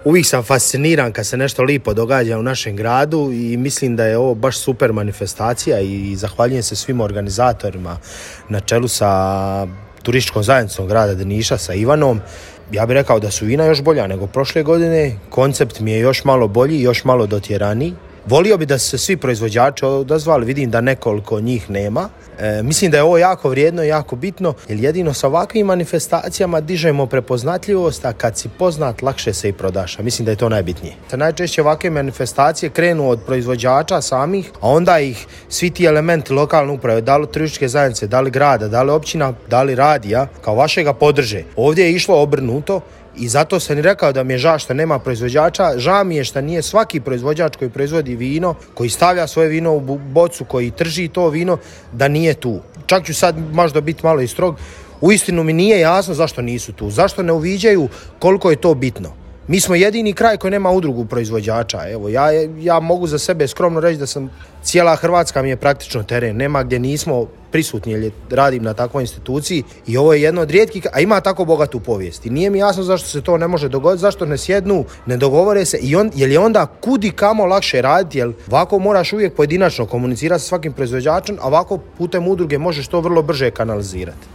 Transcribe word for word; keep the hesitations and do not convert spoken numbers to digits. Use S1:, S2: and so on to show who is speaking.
S1: Uvijek sam fasciniran kad se nešto lipo događa u našem gradu i mislim da je ovo baš super manifestacija i zahvaljujem se svim organizatorima na čelu sa turističkom zajednicom grada Drniša, sa Ivanom. Ja bih rekao da su vina još bolja nego prošle godine, koncept mi je još malo bolji, još malo dotjeraniji. Volio bi da se svi proizvođači odazvali, vidim da nekoliko njih nema. E, mislim da je ovo jako vrijedno i jako bitno, jer jedino sa ovakvim manifestacijama dižemo prepoznatljivost, a kad si poznat, lakše se i prodaš. A mislim da je to najbitnije. Najčešće ovakve manifestacije krenu od proizvođača samih, a onda ih svi ti elementi lokalne uprave, da li turističke zajednice, da li grada, da li općina, da li radija, kao vašega podrže. Ovdje je išlo obrnuto. I zato sam i rekao da mi je žao što nema proizvođača, žao mi je što nije svaki proizvođač koji proizvodi vino, koji stavlja svoje vino u bocu, koji trži to vino, da nije tu. Čak ću sad možda biti malo i strog, uistinu mi nije jasno zašto nisu tu, zašto ne uviđaju koliko je to bitno. Mi smo jedini kraj koji nema udrugu proizvođača. Evo, ja, ja mogu za sebe skromno reći da sam, cijela Hrvatska mi je praktično teren. Nema gdje nismo prisutni, jer radim na takvoj instituciji i ovo je jedno od rijetkih, a ima tako bogatu povijest. I nije mi jasno zašto se to ne može dogoditi, zašto ne sjednu, ne dogovore se, i on, jer je onda kudi kamo lakše raditi, jer ovako moraš uvijek pojedinačno komunicirati sa svakim proizvođačem, a ovako putem udruge možeš to vrlo brže kanalizirati.